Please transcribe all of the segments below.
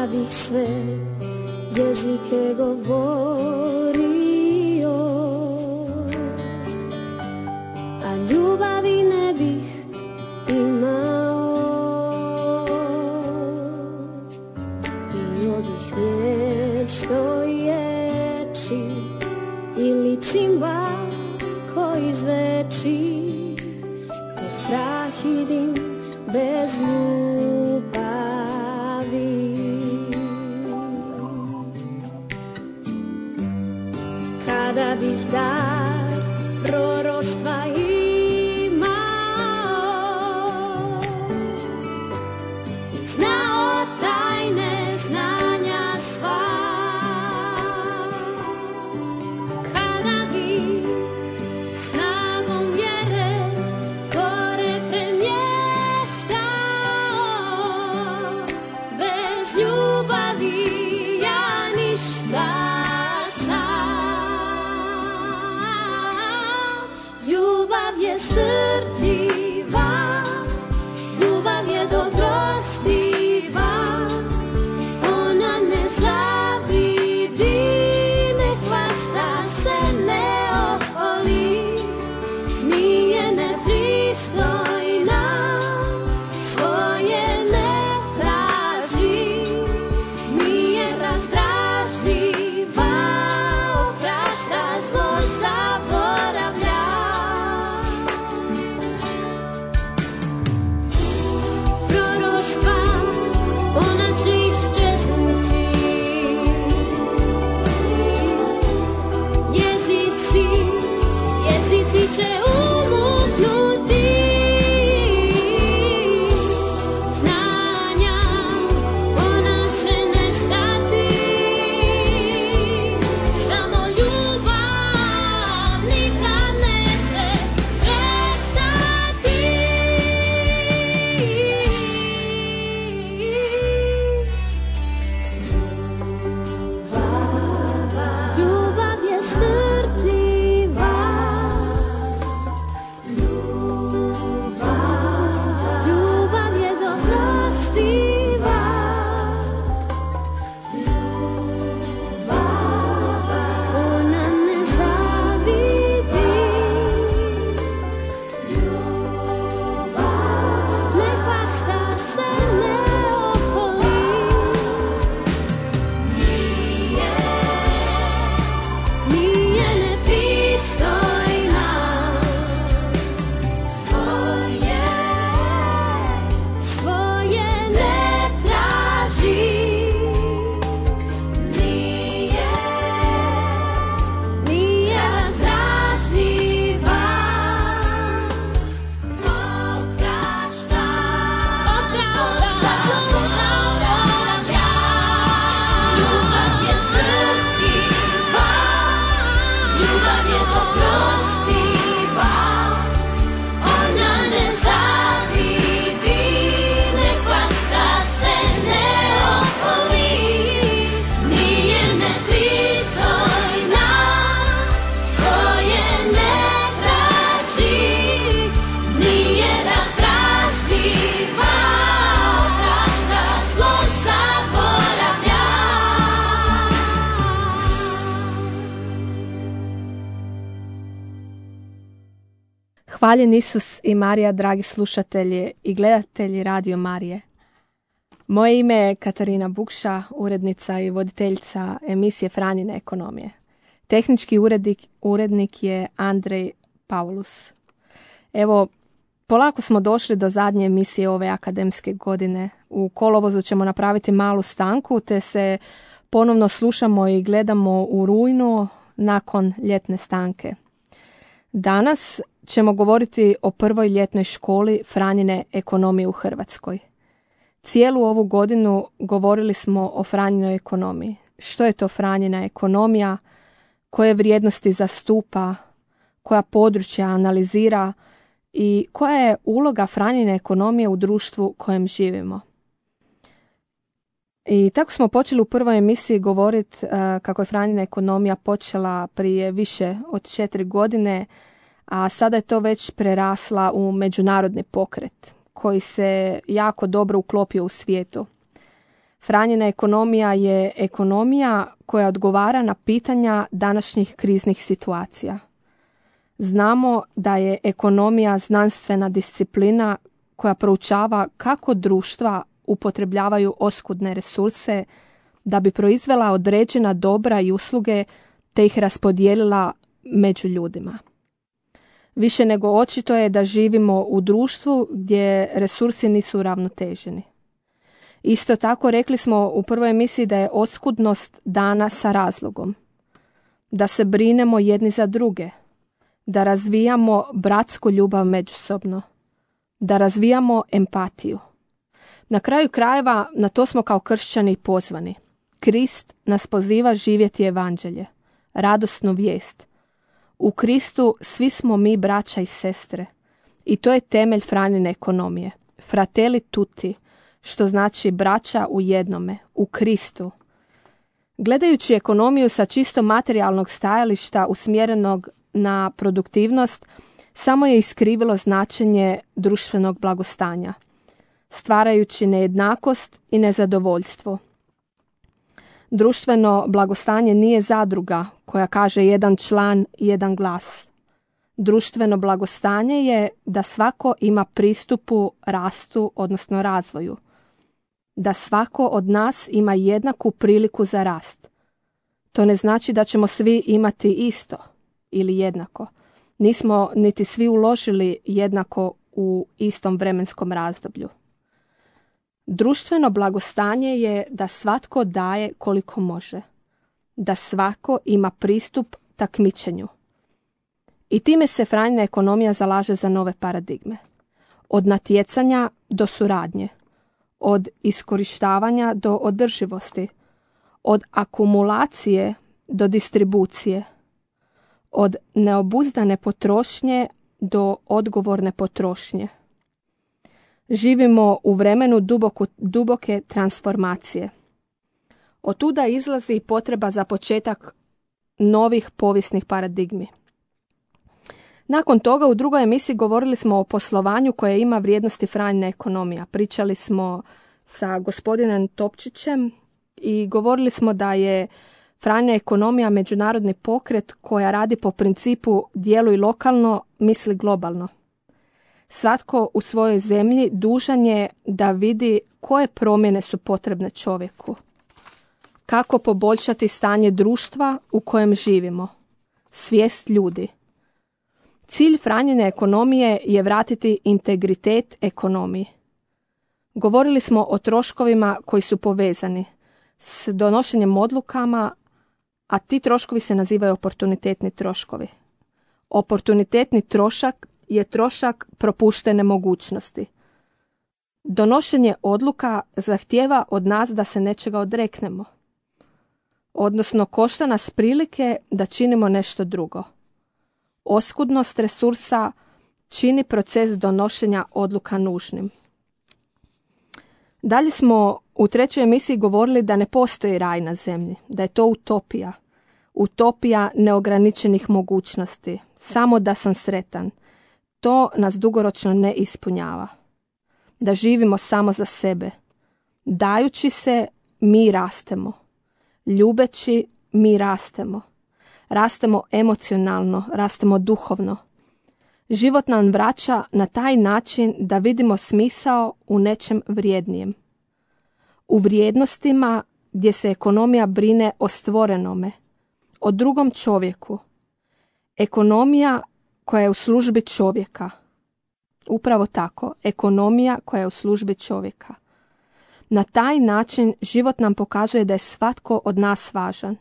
kada bih sve jezike govorio, a ljubavi ne bih imao, i odih mječ što ječi ili cimbal koji zveči, tek prah i dim bez ljubavi. Kada bih dar proroštva imao i znao tajne znanja sva, kada bih snagom vjere gore premještao, bez ljubavi ja ništa. Ljubav je strpljiva, ljubav je dobrostiva, ona ne zavidi, ne hvasta se, ne oholi, nije nepristojna, svoje ne traži, nije razdražljiva, oprašta zlo, zaboravlja. Ona će iščeznuti, jezici će umuknuti, znanja ona će nestati, samo ljubav nikad neće prestati. Ljubav je strpljiva, ljubav je dobrostiva, ona ne zavidi, ne hvasta se, ne oholi, nije nepristojna, svoje ne traži, nije razdražljiva, oprašta, zaboravlja. Ljubav je strpljiva, ljubav je dobrostiva, ona ne zavidi, ne hvasta se, ne oholi, nije nepristojna, svoje ne traži, nije razdražljiva, oprašta zlo, zaboravlja. Hvaljen Isus i Marija, dragi slušatelji i gledatelji Radio Marije. Moje ime je Katarina Bukša, urednica i voditeljica emisije Franjine ekonomije. Tehnički urednik je Andrej Paulus. Evo, polako smo došli do zadnje emisije ove akademske godine. U kolovozu ćemo napraviti malu stanku, te se ponovno slušamo i gledamo u rujnu nakon ljetne stanke. Danas ćemo govoriti o prvoj ljetnoj školi Franjine ekonomije u Hrvatskoj. Cijelu ovu godinu govorili smo o Franjinoj ekonomiji. Što je to Franjina ekonomija, koje vrijednosti zastupa, koja područja analizira i koja je uloga Franjine ekonomije u društvu kojem živimo. I tako smo počeli u prvoj emisiji govoriti kako je Franjina ekonomija počela prije više od 4 godine, a sada je to već prerasla u međunarodni pokret koji se jako dobro uklopio u svijetu. Franjina ekonomija je ekonomija koja odgovara na pitanja današnjih kriznih situacija. Znamo da je ekonomija znanstvena disciplina koja proučava kako društva upotrebljavaju oskudne resurse da bi proizvela određena dobra i usluge te ih raspodijelila među ljudima. Više nego očito je da živimo u društvu gdje resursi nisu uravnoteženi. Isto tako rekli smo u prvoj emisiji da je oskudnost dana sa razlogom, da se brinemo jedni za druge, da razvijamo bratsku ljubav međusobno, da razvijamo empatiju. Na kraju krajeva na to smo kao kršćani pozvani. Krist nas poziva živjeti evanđelje, radosnu vijest. U Kristu svi smo mi braća i sestre i to je temelj Franjine ekonomije. Fratelli tutti, što znači braća u jednome, u Kristu. Gledajući ekonomiju sa čisto materijalnog stajališta usmjerenog na produktivnost, samo je iskrivilo značenje društvenog blagostanja, stvarajući nejednakost i nezadovoljstvo. Društveno blagostanje nije zadruga koja kaže jedan član, jedan glas. Društveno blagostanje je da svako ima pristupu rastu, odnosno razvoju. Da svako od nas ima jednaku priliku za rast. To ne znači da ćemo svi imati isto ili jednako. Nismo niti svi uložili jednako u istom vremenskom razdoblju. Društveno blagostanje je da svatko daje koliko može. Da svako ima pristup takmičenju. I time se Franjina ekonomija zalaže za nove paradigme. Od natjecanja do suradnje. Od iskorištavanja do održivosti. Od akumulacije do distribucije. Od neobuzdane potrošnje do odgovorne potrošnje. Živimo u vremenu duboke transformacije. Otuda izlazi potreba za početak novih povijesnih paradigmi. Nakon toga u drugoj emisiji govorili smo o poslovanju koje ima vrijednosti Franjina ekonomija. Pričali smo sa gospodinom Topčićem i govorili smo da je Franjina ekonomija međunarodni pokret koja radi po principu djeluj lokalno, misli globalno. Svatko u svojoj zemlji dužan je da vidi koje promjene su potrebne čovjeku. Kako poboljšati stanje društva u kojem živimo. Svijest ljudi. Cilj Franjine ekonomije je vratiti integritet ekonomiji. Govorili smo o troškovima koji su povezani s donošenjem odlukama, a ti troškovi se nazivaju oportunitetni troškovi. Oportunitetni trošak je trošak propuštene mogućnosti. Donošenje odluka zahtijeva od nas da se nečega odreknemo. Odnosno košta nas prilike da činimo nešto drugo. Oskudnost resursa čini proces donošenja odluka nužnim. Dalje smo u trećoj emisiji govorili da ne postoji raj na zemlji, da je to utopija. Utopija neograničenih mogućnosti, samo da sam sretan. To nas dugoročno ne ispunjava. Da živimo samo za sebe. Dajući se, mi rastemo. Ljubeći, mi rastemo. Rastemo emocionalno, rastemo duhovno. Život nam vraća na taj način da vidimo smisao u nečem vrijednijem. U vrijednostima gdje se ekonomija brine o stvorenome, o drugom čovjeku. Ekonomija koja je u službi čovjeka. Upravo tako, ekonomija koja je u službi čovjeka. Na taj način život nam pokazuje da je svatko od nas važan.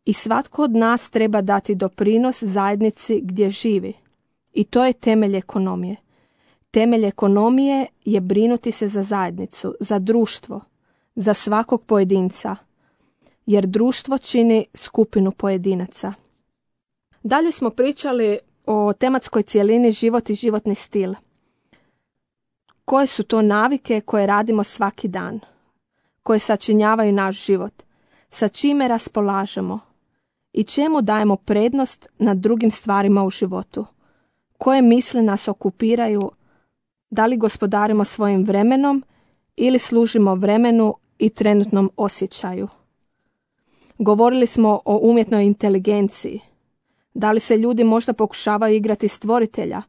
I svatko od nas treba dati doprinos zajednici gdje živi. I to je temelj ekonomije. Temelj ekonomije je brinuti se za zajednicu, za društvo, za svakog pojedinca. Jer društvo čini skupinu pojedinaca. Dalje smo pričali o tematskoj cjelini život i životni stil. Koje su to navike koje radimo svaki dan? Koje sačinjavaju naš život? Sa čime raspolažemo? I čemu dajemo prednost nad drugim stvarima u životu? Koje misli nas okupiraju? Da li gospodarimo svojim vremenom ili služimo vremenu i trenutnom osjećaju. Govorili smo o umjetnoj inteligenciji. Da li se ljudi možda pokušavaju igrati stvoritelja,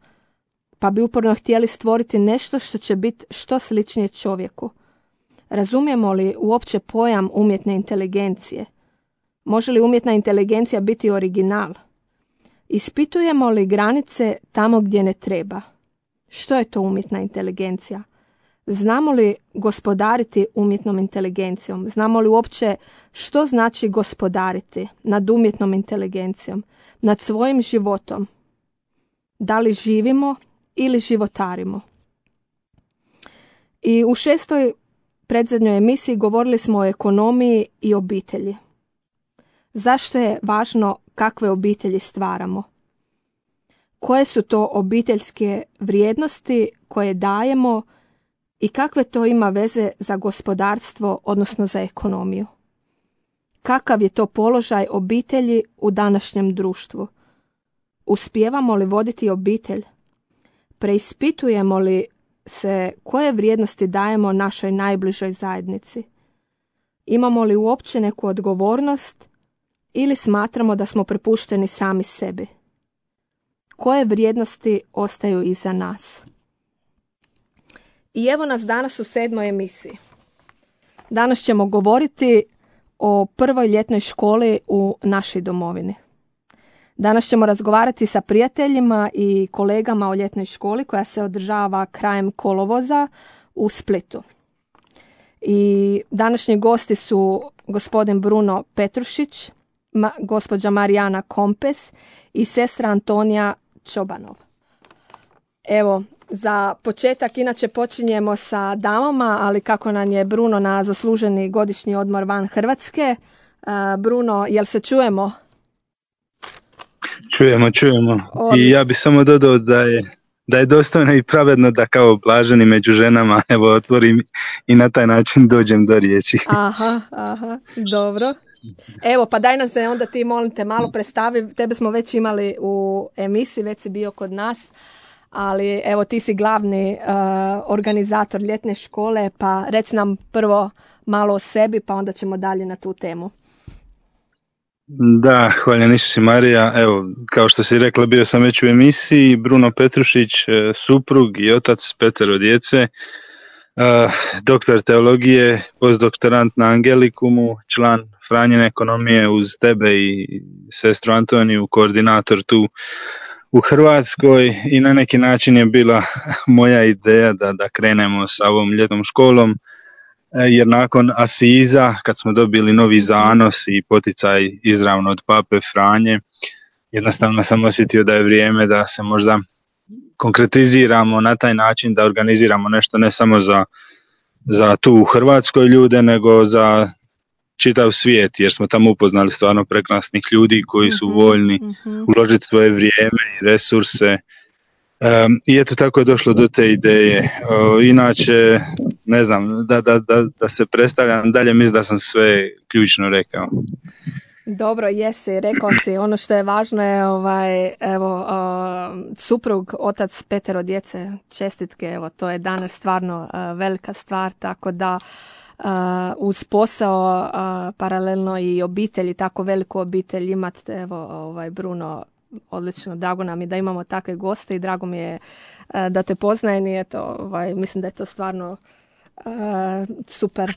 pa bi uporno htjeli stvoriti nešto što će biti što sličnije čovjeku? Razumijemo li uopće pojam umjetne inteligencije? Može li umjetna inteligencija biti original? Ispitujemo li granice tamo gdje ne treba? Što je to umjetna inteligencija? Znamo li gospodariti umjetnom inteligencijom? Znamo li uopće što znači gospodariti nad umjetnom inteligencijom, nad svojim životom? Da li živimo ili životarimo? I u 6. predzadnjoj emisiji govorili smo o ekonomiji i obitelji. Zašto je važno kakve obitelji stvaramo? Koje su to obiteljske vrijednosti koje dajemo i kakve to ima veze za gospodarstvo, odnosno za ekonomiju? Kakav je to položaj obitelji u današnjem društvu? Uspijevamo li voditi obitelj? Preispitujemo li se koje vrijednosti dajemo našoj najbližoj zajednici? Imamo li uopće neku odgovornost ili smatramo da smo prepušteni sami sebi? Koje vrijednosti ostaju iza nas? I evo nas danas u 7. emisiji. Danas ćemo govoriti o prvoj ljetnoj školi u našoj domovini. Danas ćemo razgovarati sa prijateljima i kolegama o ljetnoj školi koja se održava krajem kolovoza u Splitu. I današnji gosti su gospodin Bruno Petrušić, gospođa Marijana Kompes i sestra Antonija Čobanov. Evo, za početak inače počinjemo sa damama, ali kako nam je Bruno na zasluženi godišnji odmor van Hrvatske. Bruno, jel se čujemo? Čujemo. I ja bih samo dodao da je dostojno i pravedno da kao blaženi među ženama evo otvorim i na taj način dođem do riječi. Aha, dobro. Evo, pa daj nam se onda ti, molim te, malo predstavi. Tebe smo već imali u emisiji, već si bio kod nas, ali evo ti si glavni organizator ljetne škole, pa reci nam prvo malo o sebi, pa onda ćemo dalje na tu temu. Da, hvala Isus i Marija. Evo, kao što si rekla, bio sam već u emisiji. Bruno Petrušić, suprug i otac 5 djece, doktor teologije, postdoktorant na Angelikumu, član Franjine ekonomije uz tebe i sestru Antoniju, koordinator tu u Hrvatskoj, i na neki način je bila moja ideja da krenemo sa ovom ljetnom školom, jer nakon Asiza, kad smo dobili novi zanos i poticaj izravno od Pape Franje, jednostavno sam osjetio da je vrijeme da se možda konkretiziramo na taj način, da organiziramo nešto ne samo za tu u Hrvatskoj ljude, nego za čitav svijet, jer smo tamo upoznali stvarno prekrasnih ljudi koji su voljni uložiti svoje vrijeme i resurse. I eto, tako je došlo do te ideje. Inače, ne znam, da se predstavljam dalje, mislim da sam sve ključno rekao. Dobro, jesi, rekao si. Ono što je važno je suprug, otac 5 djece, čestitke, evo, to je danas stvarno velika stvar, tako da uz posao paralelno i obitelji, tako veliku obitelj imate, evo, Bruno, odlično, drago nam je da imamo takve goste i drago mi je da te poznajem i eto, mislim da je to stvarno super.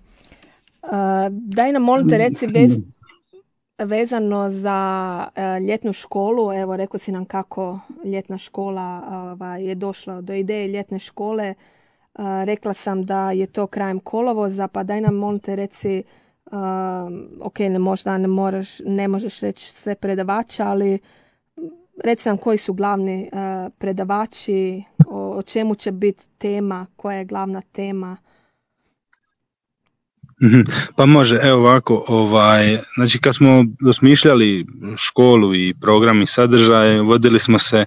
Daj nam, molim te, reci vezano za ljetnu školu, evo, rekao si nam kako ljetna škola je došla do ideje ljetne škole. Rekla sam da je to krajem kolovoza, pa daj nam, molim te, reci, ne možeš reći sve predavača, ali reci nam koji su glavni predavači, o čemu će biti tema, koja je glavna tema. Pa može, evo ovako, znači kad smo osmišljali školu i program i sadržaj, vodili smo se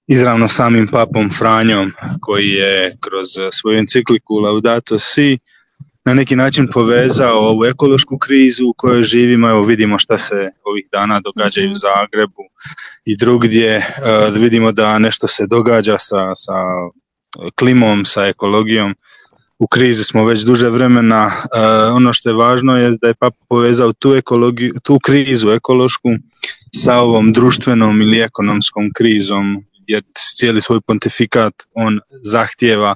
izravno samim papom Franjom, koji je kroz svoju encikliku Laudato Si na neki način povezao ovu ekološku krizu u kojoj živimo. Evo, vidimo šta se ovih dana događa i u Zagrebu i drugdje. Vidimo da nešto se događa sa klimom, sa ekologijom. u krizi smo već duže vremena. Ono što je važno je da je Papa povezao tu krizu ekološku sa ovom društvenom ili ekonomskom krizom, jer cijeli svoj pontifikat on zahtijeva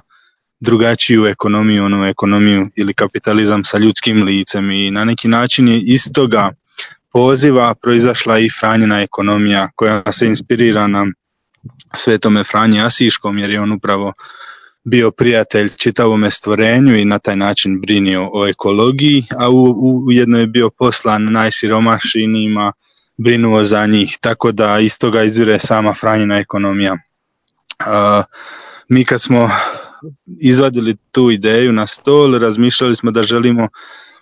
drugačiju ekonomiju, onu ekonomiju ili kapitalizam sa ljudskim licem, i na neki način je iz toga poziva proizašla i Franjina ekonomija, koja se inspirira na Svetome Franji Asiškom, jer je on upravo bio prijatelj čitavome stvorenju i na taj način brinio o ekologiji, a ujedno je bio poslan najsiromašnijima, brinuo za njih, tako da iz toga izvire sama Franjina ekonomija. Mi kad smo izvadili tu ideju na stol, razmišljali smo da želimo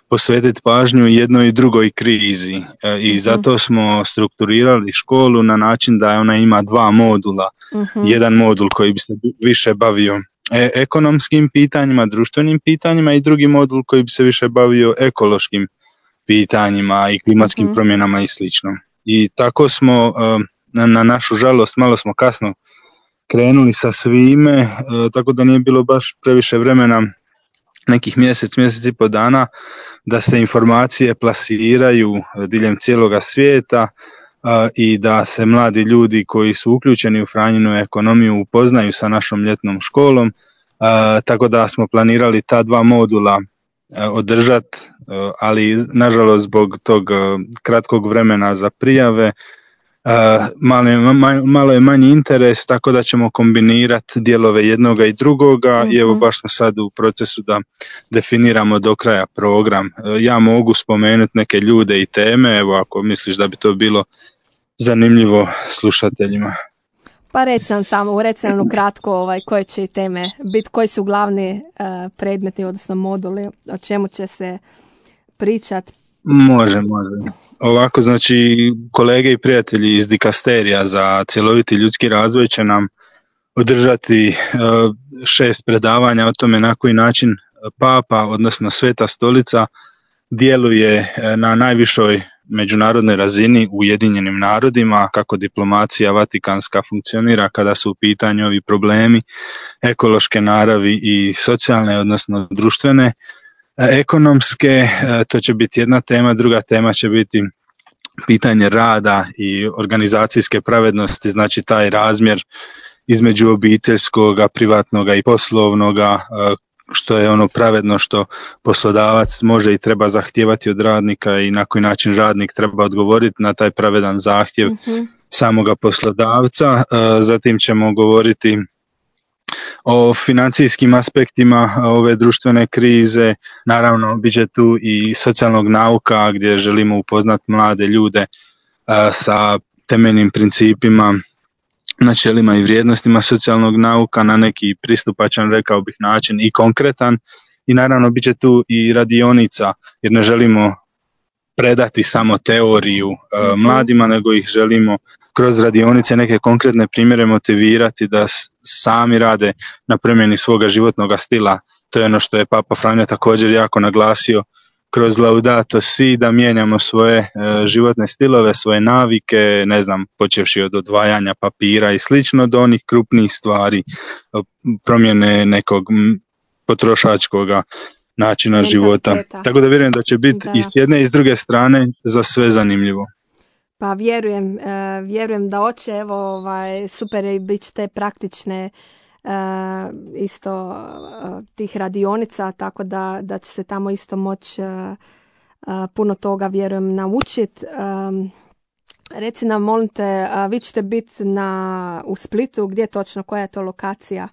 posvetiti pažnju jednoj i drugoj krizi, i zato smo strukturirali školu na način da ona ima dva modula. Jedan modul koji bi se više bavio ekonomskim pitanjima, društvenim pitanjima, i drugi modul koji bi se više bavio ekološkim pitanjima i klimatskim promjenama i slično. I tako smo, na našu žalost, malo smo kasno krenuli sa svime, tako da nije bilo baš previše vremena, nekih mjesec i pol dana, da se informacije plasiraju diljem cijeloga svijeta i da se mladi ljudi koji su uključeni u Franjinu ekonomiju upoznaju sa našom ljetnom školom, tako da smo planirali ta dva modula održati, ali nažalost zbog tog kratkog vremena za prijave malo je manji interes, tako da ćemo kombinirati dijelove jednoga i drugoga, i evo baš smo sad u procesu da definiramo do kraja program. Ja mogu spomenuti neke ljude i teme, evo ako misliš da bi to bilo zanimljivo slušateljima. Pa reci nam kratko koje će teme biti, koji su glavni predmeti, odnosno moduli, o čemu će se pričati. Može. Ovako, znači, kolege i prijatelji iz Dikasterija za cjeloviti ljudski razvoj će nam održati 6 predavanja o tome na koji način Papa, odnosno Sveta Stolica, djeluje na najvišoj međunarodnoj razini u Ujedinjenim narodima, kako diplomacija vatikanska funkcionira kada su u pitanju ovi problemi ekološke naravi i socijalne, odnosno društvene. Ekonomske, to će biti jedna tema, druga tema će biti pitanje rada i organizacijske pravednosti, znači taj razmjer između obiteljskoga, privatnoga i poslovnoga, što je ono pravedno što poslodavac može i treba zahtijevati od radnika i na koji način radnik treba odgovoriti na taj pravedan zahtjev samoga poslodavca. Zatim ćemo govoriti o financijskim aspektima ove društvene krize, naravno bit će tu i socijalnog nauka gdje želimo upoznati mlade ljude sa temeljnim principima, načelima i vrijednostima socijalnog nauka na neki pristupačan, rekao bih, način i konkretan, i naravno bit će tu i radionica, jer ne želimo predati samo teoriju mladima, nego ih želimo kroz radionice neke konkretne primjere motivirati da sami rade na promjeni svoga životnog stila. To je ono što je Papa Franjo također jako naglasio kroz Laudato Si, da mijenjamo svoje životne stilove, svoje navike, počevši od odvajanja papira i slično do onih krupnih stvari, promjene nekog potrošačkog načina života. Tako da vjerujem da će biti i s jedne i s druge strane za sve zanimljivo. Pa vjerujem da hoće, evo super je, bit će te praktične isto tih radionica, tako da će se tamo isto moći puno toga, vjerujem, naučiti. Reci nam, molim te, vi ćete biti u Splitu, gdje točno, koja je to lokacija?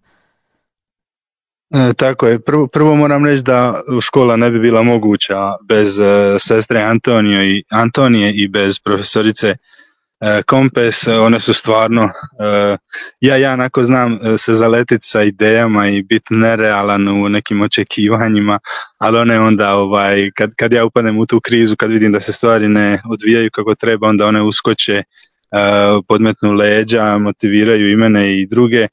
Tako je, prvo moram reći da škola ne bi bila moguća bez sestre Antonije i bez profesorice Kompes. One su stvarno, ja onako znam se zaletiti sa idejama i biti nerealan u nekim očekivanjima, ali one onda kad ja upadnem u tu krizu, kad vidim da se stvari ne odvijaju kako treba, onda one uskoče, podmetnu leđa, motiviraju i mene i druge.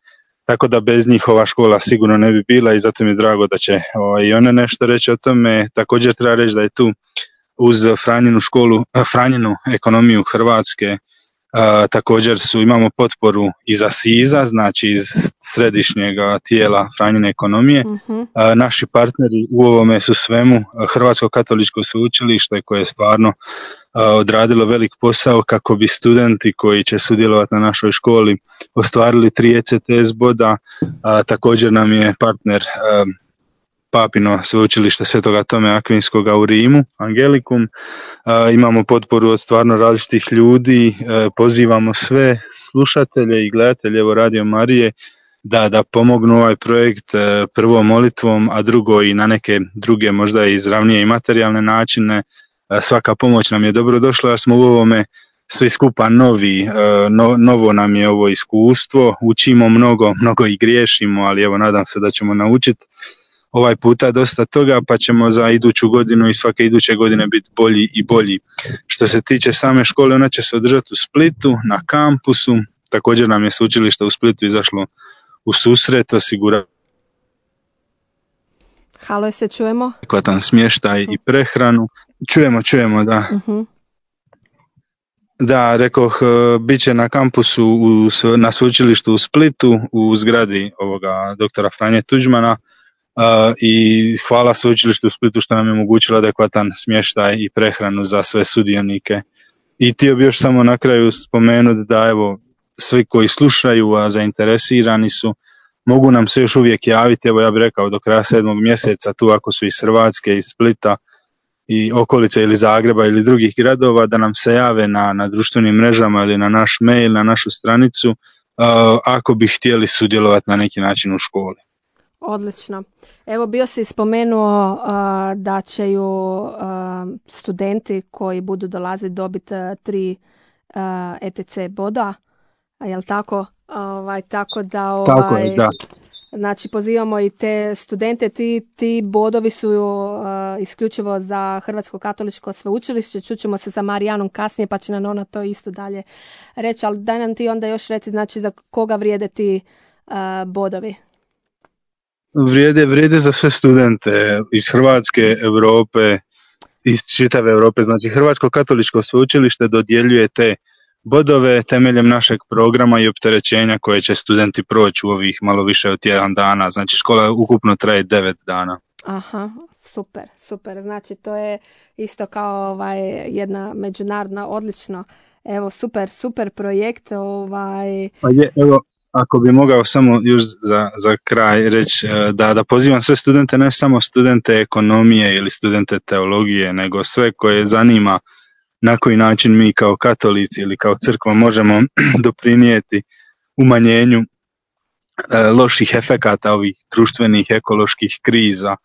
Tako da bez njih ova škola sigurno ne bi bila, i zato mi je drago da će i one nešto reći o tome. Također treba reći da je tu uz Franjinu školu, Franjinu ekonomiju Hrvatske, Također imamo potporu iz ASIZ-a, znači iz središnjeg tijela Franjine ekonomije. Naši partneri u ovome su svemu Hrvatsko katoličko sveučilište koje je stvarno odradilo velik posao kako bi studenti koji će sudjelovati na našoj školi ostvarili 3 ECTS boda. Također nam je partner Papino sveučilište Svetoga Tome Akvinskoga u Rimu, Angelikum. Imamo potporu od stvarno različitih ljudi. Pozivamo sve slušatelje i gledatelje Radio Marije da pomognu ovaj projekt, prvo molitvom, a drugo i na neke druge možda izravnije i materijalne načine. Svaka pomoć nam je dobro došla, jer smo u ovome svi skupa novo nam je ovo iskustvo, učimo mnogo i griješimo, ali evo nadam se da ćemo naučiti ovaj puta dosta toga, pa ćemo za iduću godinu i svake iduće godine biti bolji i bolji. Što se tiče same škole, ona će se održati u Splitu, na kampusu. Također nam je sveučilište u Splitu izašlo u susret, osigura Halo, se čujemo? Adekvatan smještaj i prehranu. Čujemo, da. Da, rekoh, bit će na kampusu na sveučilištu u Splitu, u zgradi ovoga doktora Franje Tuđmana. I hvala sveučilištu u Splitu što nam je omogućilo adekvatan smještaj i prehranu za sve sudionike. I htio bi još samo na kraju spomenuti da evo svi koji slušaju, a zainteresirani su, mogu nam se još uvijek javiti, evo ja bih rekao do kraja 7. mjeseca, tu ako su iz Hrvatske, iz Splita i okolice ili Zagreba ili drugih gradova, da nam se jave na društvenim mrežama ili na naš mail, na našu stranicu, ako bi htjeli sudjelovati na neki način u školi. Odlično. Evo, bio si spomenuo da će studenti koji budu dolaziti dobiti 3 ETC boda, je li tako? Tako da, tako je, da. Znači, pozivamo i te studente, ti bodovi su isključivo za Hrvatsko katoličko sveučilište. Čućemo se sa Marijanom kasnije, pa će nam ona to isto dalje reći, ali daj nam ti onda još reci, znači, za koga vrijede ti bodovi? Vrijede za sve studente iz Hrvatske, Europe, iz čitave Europe. Znači, Hrvatsko katoličko sveučilište dodjeljuje te bodove temeljem našeg programa i opterećenja koje će studenti proći u ovih malo više od 1 dana. Znači, škola ukupno traje 9 dana. Aha, super. Znači, to je isto kao jedna međunarodna, odlično. Evo, super projekt. Pa je, evo, ako bi mogao samo još za kraj reći da pozivam sve studente, ne samo studente ekonomije ili studente teologije, nego sve koje zanima na koji način mi kao katolici ili kao crkva možemo doprinijeti umanjenju loših efekata ovih društvenih, ekoloških kriza.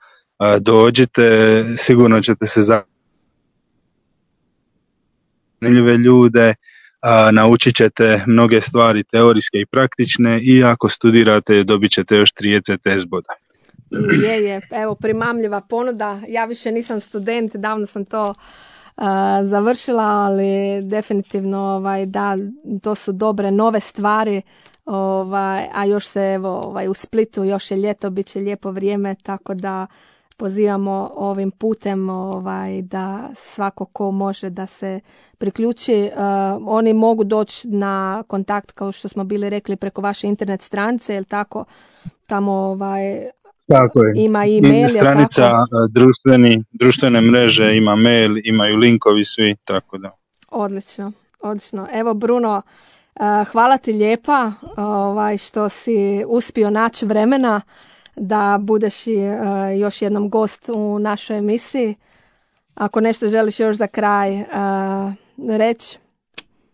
Dođite, sigurno ćete se zanimljive ljude, naučit ćete mnoge stvari teorijske i praktične i ako studirate dobit ćete još 3 ECTS boda. Je, evo primamljiva ponuda. Ja više nisam student, davno sam to završila, ali definitivno da, to su dobre nove stvari, a još se evo u Splitu još je ljeto, bit će lijepo vrijeme, tako da pozivamo ovim putem da svako ko može da se priključi. Oni mogu doći na kontakt, kao što smo bili rekli, preko vaše internet stranice, jel tako? Tamo tako je. Ima e-mail, stranica, društvene mreže, ima mail, imaju linkovi svi, tako da. Odlično. Evo Bruno, hvala ti lijepa što si uspio naći vremena da budeš još jednom gost u našoj emisiji. Ako nešto želiš još za kraj reći.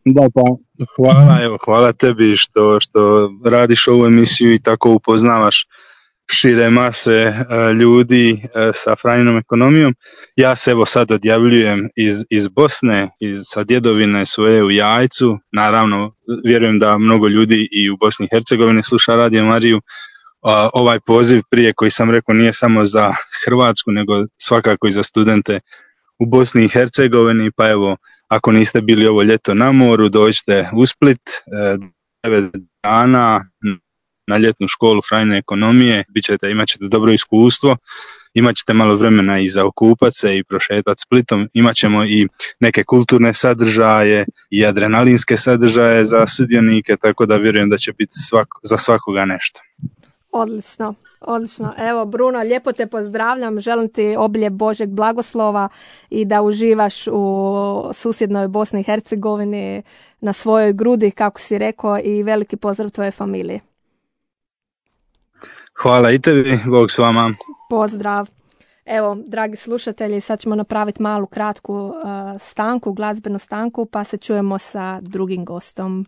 Da, pa hvala tebi što radiš ovu emisiju i tako upoznavaš šire mase ljudi sa Franjinom ekonomijom. Ja se evo sad odjavljujem iz Bosne, sa djedovine svoje u Jajcu. Naravno, vjerujem da mnogo ljudi i u Bosni i Hercegovini sluša Radio Mariju. Ovaj poziv prije koji sam rekao nije samo za Hrvatsku, nego svakako i za studente u Bosni i Hercegovini. Pa evo, ako niste bili ovo ljeto na moru, dođite u Split, 9 dana na ljetnu školu Franjine ekonomije, imat ćete dobro iskustvo, imat ćete malo vremena i za okupat se i prošetati Splitom, imat ćemo i neke kulturne sadržaje i adrenalinske sadržaje za sudionike, tako da vjerujem da će biti za svakoga nešto. Odlično, odlično. Evo, Bruno, lijepo te pozdravljam. Želim ti obilje Božeg blagoslova i da uživaš u susjednoj Bosni i Hercegovini na svojoj grudi, kako si rekao, i veliki pozdrav tvoje familije. Hvala i tebi, Bog s vama. Pozdrav. Evo, dragi slušatelji, sad ćemo napraviti malu kratku stanku, glazbenu stanku, pa se čujemo sa drugim gostom.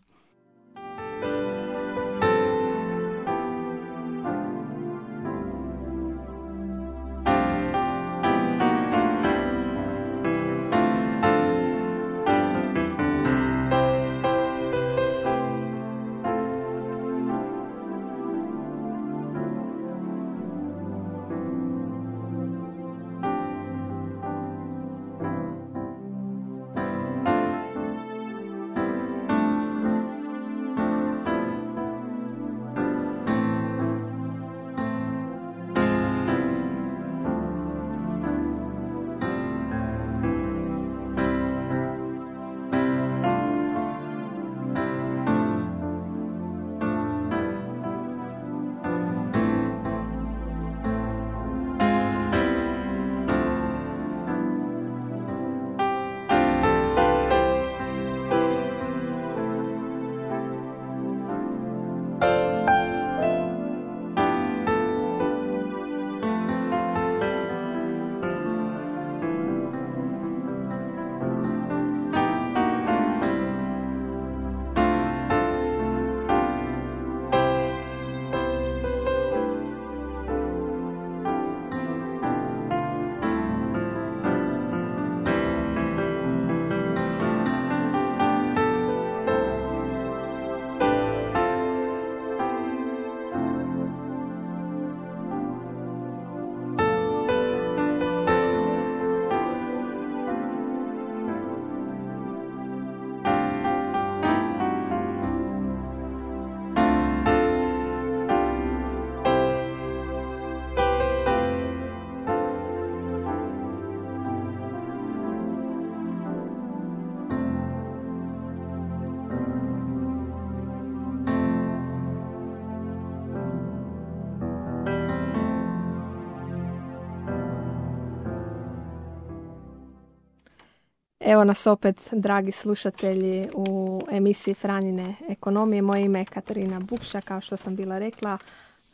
Evo nas opet, dragi slušatelji, u emisiji Franjine ekonomije. Moje ime je Katarina Bukša, kao što sam bila rekla,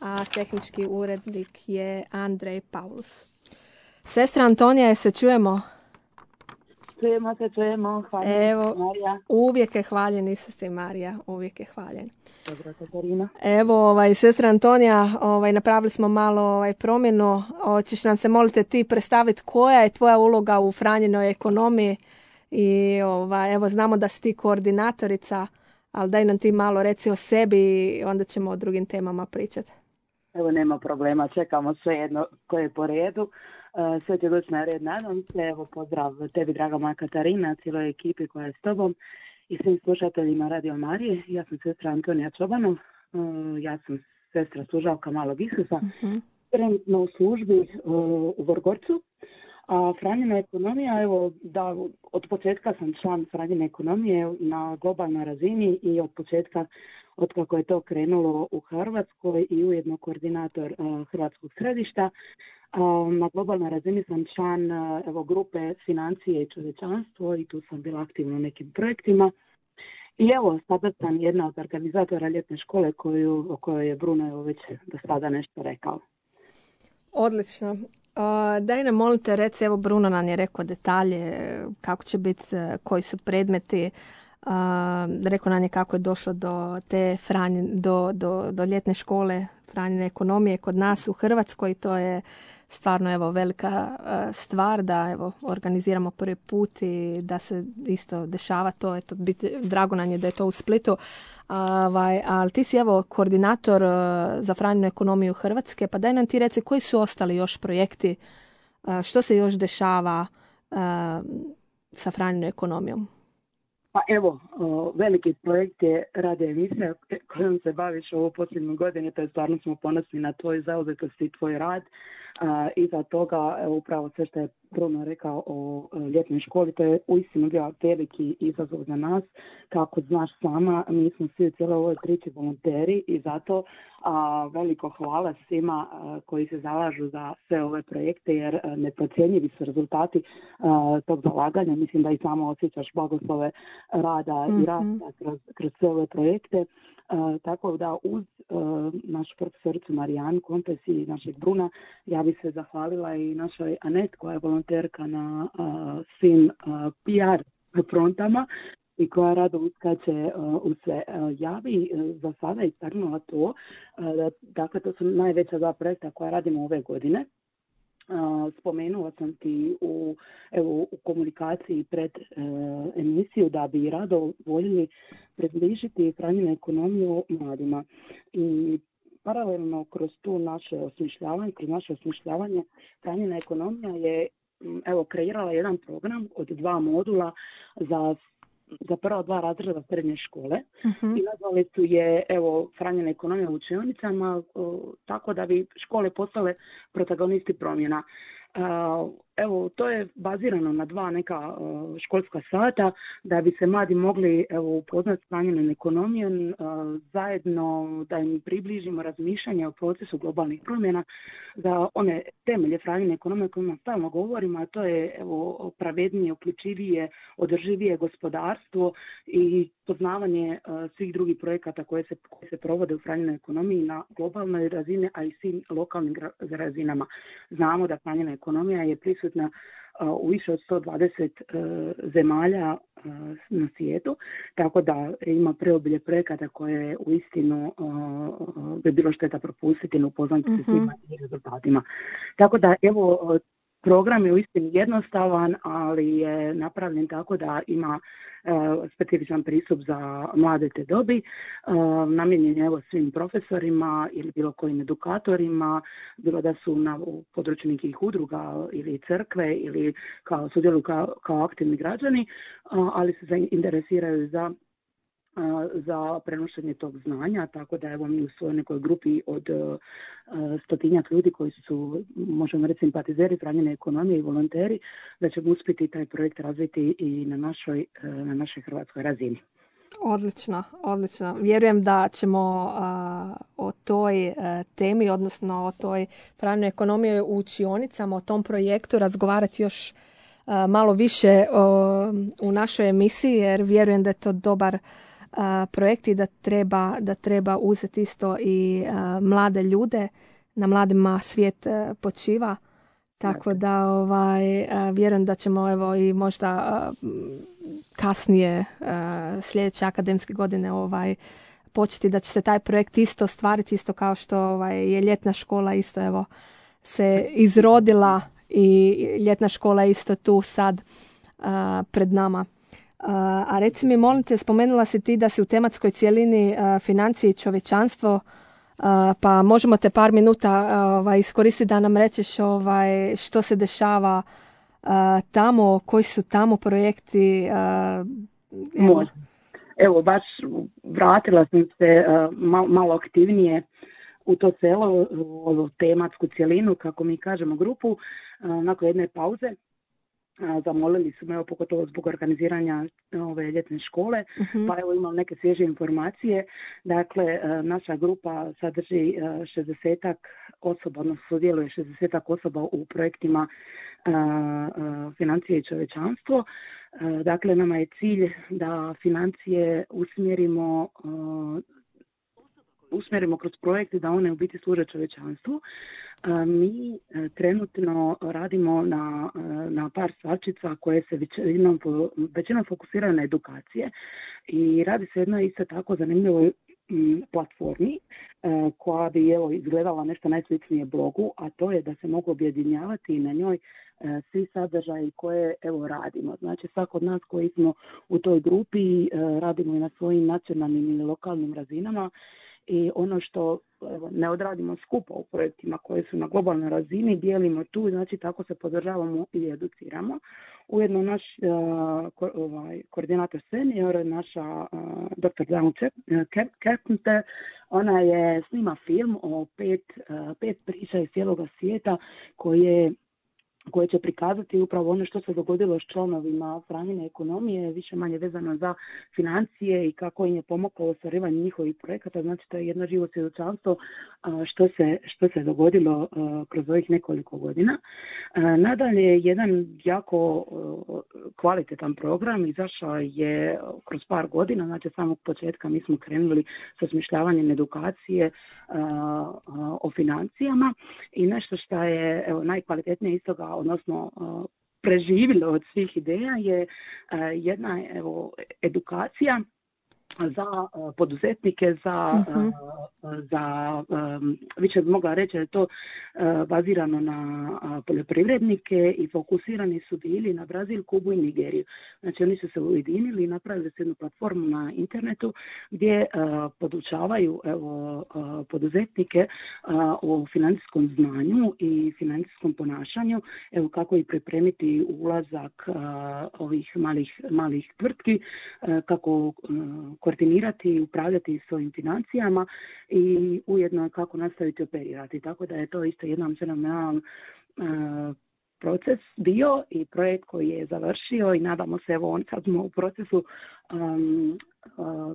a tehnički urednik je Andrej Paulus. Sestra Antonija, se čujemo? Čujemo. Hvala. Evo, Marija. uvijek je hvaljen Isus i Marija, uvijek je hvaljen. Dobro, Katarina. Evo, sestra Antonija, napravili smo malo promjenu. Hoćeš nam se, molite, ti predstaviti koja je tvoja uloga u Franjinoj ekonomiji? I evo, znamo da si ti koordinatorica, ali daj nam ti malo reci o sebi i onda ćemo o drugim temama pričati. Evo, nema problema, čekamo sve jedno koje je po redu. Sve će doći na red, nadam se. Evo, pozdrav tebi, draga moja Katarina, cijeloj ekipi koja je s tobom i svim slušateljima Radio Marije. Ja sam sestra Antonija Čobanov, ja sam sestra služavka Malog Isusa, trenutno u službi u Vrgorcu. A Franjina ekonomija, evo, da od početka sam član Franjine ekonomije na globalnoj razini i od početka, od kako je to krenulo u Hrvatskoj i ujedno koordinator Hrvatskog središta. Na globalnoj razini sam član grupe Financije i čovječanstvo i tu sam bila aktivna u nekim projektima. I evo, sada sam jedna od organizatora ljetne škole o kojoj je Bruno već do sada nešto rekao. Odlično. Daj nam, molim te, reci, evo Bruno nam je rekao detalje, kako će biti, koji su predmeti, rekao nam je kako je došlo do te do ljetne škole Franjine ekonomije kod nas u Hrvatskoj. To je stvarno evo velika stvar da evo organiziramo prvi put i da se isto dešava to. Eto, drago nam je da je to u Splitu. Ali ti si evo koordinator za Franjinu ekonomiju Hrvatske, pa daj nam ti reci koji su ostali još projekti, što se još dešava sa Franjinom ekonomijom. Pa evo, veliki projekt je radio emisija kojom se baviš ovo posljednje godine, to je stvarno smo ponosni na tvoj zauzetost i tvoj rad. Iza toga, evo, upravo sve što je Bruno rekao o ljetnoj školi, to je uistinu bio veliki izazov za nas. Kako znaš sama, mi smo svi u cijeloj ovoj priči volonteri i zato veliko hvala svima koji se zalažu za sve ove projekte, jer neprocjenjivi su rezultati tog zalaganja. Mislim da i samo osjećaš blagoslove rada i rada kroz sve ove projekte. Tako da uz našu profesoricu Marijanu Kompes i našeg Bruna, ja bi se zahvalila i našoj Anet koja je volonterka na svim PR frontama i koja rado uskače u sve. Ja bi za sada istaknula to, dakle to su najveća dva projekta koja radimo ove godine. Spomenula sam ti u komunikaciji pred emisiju da bi rado voljeli približiti hranjenu ekonomiju mladima. I paralelno kroz naše osmišljavanje hranjena ekonomija je kreirala jedan program od 2 modula za prva 2 razreda srednje škole i nazvali su je hranjena ekonomija u učionicama, tako da bi škole postale protagonisti promjena. To je bazirano na 2 neka školska sata da bi se mladi mogli upoznati s hranjenom ekonomijom, zajedno da im približimo razmišljanje o procesu globalnih promjena za one temelje hranjene ekonomije o kojima stalno govorimo, a to je pravednije, uključivije, održivije gospodarstvo i poznavanje svih drugih projekata koji se provode u hranjenoj ekonomiji na globalnoj razini, a i svim lokalnim razinama. Znamo da hranjena ekonomija je prisutna u više od 120 zemalja na svijetu, tako da ima preobilje projekata koje uistinu bi bilo šteta propustiti, ne upoznati se svima i rezultatima. Tako da program je uistinu jednostavan, ali je napravljen tako da ima specifičan pristup za mlade te dobi, namijenjen je svim profesorima ili bilo kojim edukatorima, bilo da su na području nekih udruga ili crkve ili sudjeluju kao aktivni građani, ali se zainteresiraju za prenošenje tog znanja, tako da mi u svojoj nekoj grupi od 100-tinjak ljudi koji su, možemo reći, simpatizeri hranjene ekonomije i volonteri, da ćemo uspjeti taj projekt razviti i na našoj hrvatskoj razini. Odlično. Vjerujem da ćemo o toj temi, odnosno o toj hranjenoj ekonomiji u učionicama, o tom projektu razgovarati još malo više u našoj emisiji, jer vjerujem da je to dobar projekt i da treba uzeti isto i mlade ljude. Na mladima svijet počiva, tako da vjerujem da ćemo i možda kasnije sljedeće akademske godine početi, da će se taj projekt isto ostvariti, isto kao što je ljetna škola isto se izrodila i ljetna škola je isto tu sad pred nama. A reci mi, molim te, spomenula si ti da si u tematskoj cjelini financije i čovječanstvo, pa možemo te par minuta iskoristiti da nam rečeš što se dešava tamo, koji su tamo projekti. Evo, baš vratila sam se malo aktivnije u to selo, u tematsku cjelinu, kako mi kažemo, grupu, nakon jedne pauze. Zamolili su me, pogotovo zbog organiziranja ove ljetne škole, pa imam neke svježe informacije. Dakle, naša grupa sadrži 60-ak osoba, odnosno sudjeluje 60-ak osoba u projektima financije i čovječanstvo. Dakle, nama je cilj da financije usmjerimo kroz projekte da one u biti služe čovječanstvu. Mi trenutno radimo na par stvarčica koje se većinom fokusiraju na edukacije i radi se jedno isto tako zanimljivoj platformi koja bi izgledala nešto najsličnije blogu, a to je da se mogu objedinjavati na njoj svi sadržaji koje radimo. Znači, svako od nas koji smo u toj grupi radimo i na svojim nacionalnim ili lokalnim razinama. I ono što ne odradimo skupa u projektima koji su na globalnoj razini, dijelimo tu, znači tako se podržavamo i educiramo. Ujedno naš koordinator senior, naša dr. Dawn Carpenter, ona je snima film o pet priča iz cijeloga svijeta koje će prikazati upravo ono što se dogodilo s članovima Franjine ekonomije, više manje vezano za financije i kako im je pomoglo ostvarivanje njihovih projekata. Znači, to je jedno živo svjedočanstvo što se dogodilo kroz ovih nekoliko godina. Nadalje, jedan jako kvalitetan program izašao je kroz par godina, znači samog početka mi smo krenuli sa osmišljavanjem edukacije o financijama i nešto što je najkvalitetnije iz toga, odnosno preživjelo od svih ideja, je jedna edukacija za poduzetnike, za više bi mogla reći da je to bazirano na poljoprivrednike i fokusirani su bili na Brazil, Kubu i Nigeriju. Znači oni su se ujedinili i napravili su jednu platformu na internetu gdje podučavaju poduzetnike o financijskom znanju i financijskom ponašanju, kako i pripremiti ulazak ovih malih tvrtki, kako koordinirati i upravljati svojim financijama i ujedno kako nastaviti operirati. Tako da je to isto jedan fenomenalan proces bio i projekt koji je završio i nadamo se, sad smo u procesu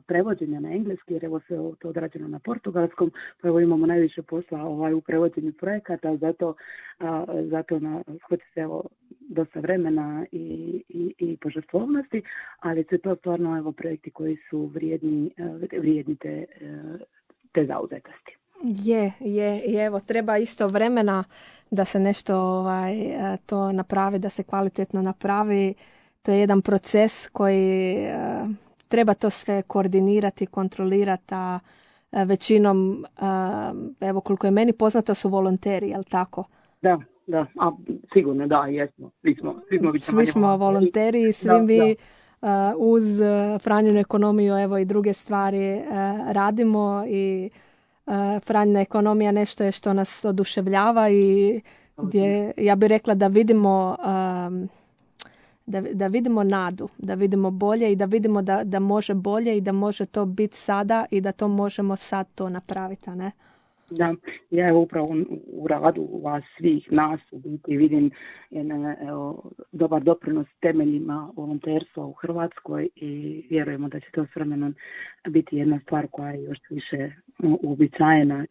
prevođenja na engleski, jer sve to odrađeno na portugalskom, pa imamo najviše posla u prevođenju projekata, zato hoće se dosta vremena i požrtvovnosti, ali su to stvarno projekti koji su vrijedni te zauzetosti. I evo, treba isto vremena da se nešto to napravi, da se kvalitetno napravi. To je jedan proces koji treba to sve koordinirati, kontrolirati, a većinom, evo koliko je meni poznato, su volonteri, jel tako? Da, sigurno da, jesmo. Svi smo volonteri i svi vi uz Franjinu ekonomiju, evo i druge stvari radimo i Franjina ekonomija nešto je što nas oduševljava i gdje ja bih rekla da vidimo da vidimo nadu, da vidimo bolje i da vidimo da može bolje i da može to biti sada i da to možemo sad to napraviti, a ne? Da, ja upravo u radu vas svih nas u biti vidim dobar doprinos temeljima volonterstva u Hrvatskoj i vjerujemo da će to s vremenom biti jedna stvar koja je još više uobičajena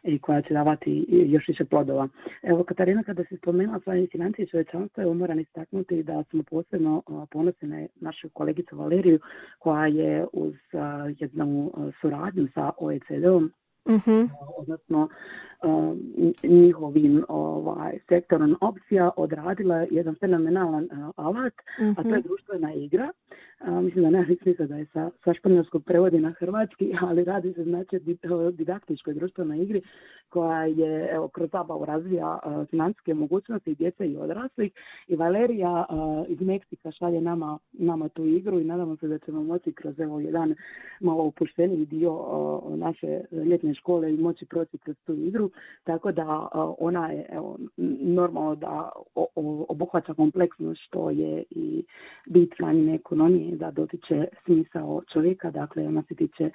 i koja će davati još više plodova. Evo, Katarina, kada se spomenula svoje financije i čovječanstvo, moram istaknuti da smo posebno ponosni na našu kolegicu Valeriju, koja je uz jednu suradnju sa OECD-om, odnosno njihovim sektorom opcija odradila jedan fenomenalan alat, a to je društvena igra. Mislim da nema smisla da je sa španjolskog prevodi na hrvatski, ali radi se znači o didaktičkoj društvenoj igri koja je kroz zabavu razvija financijske mogućnosti djece i odraslih. I Valerija iz Meksika šalje nama tu igru i nadamo se da ćemo moći kroz jedan malo opušteniji dio naše ljetne škole i moći proći kroz tu igru. Tako da ona je normalno da obuhvaća kompleksnost što je i bit Franjine ekonomije, da dotiče smisao čovjeka, dakle ona se tiče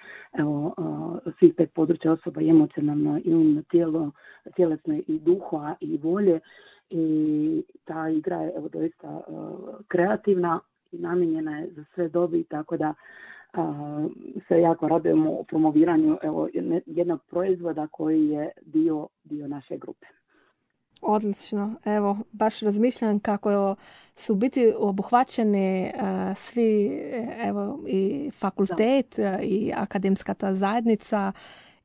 svih 5 područja osoba i emocionalno i umno tijelo, tjelesno i duha i volje, i ta igra je doista kreativna i namijenjena je za sve dobi, tako da se jako radujemo o promoviranju jednog proizvoda koji je dio naše grupe. Odlično. Evo, baš razmišljam kako su biti obuhvaćeni svi, i fakultet i akademska ta zajednica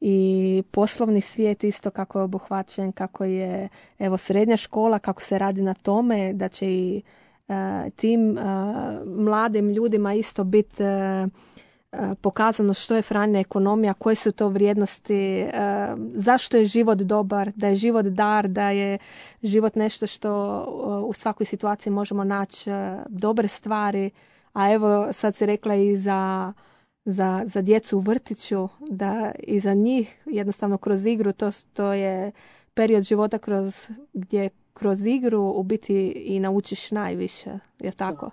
i poslovni svijet isto kako je obuhvaćen, kako je srednja škola, kako se radi na tome da će i tim mladim ljudima isto biti pokazano što je Franjina ekonomija, koje su to vrijednosti, zašto je život dobar, da je život dar, da je život nešto što u svakoj situaciji možemo naći dobre stvari, a evo sad si rekla i za djecu u vrtiću, da i za njih jednostavno kroz igru to je period života gdje kroz igru u biti i naučiš najviše, je tako?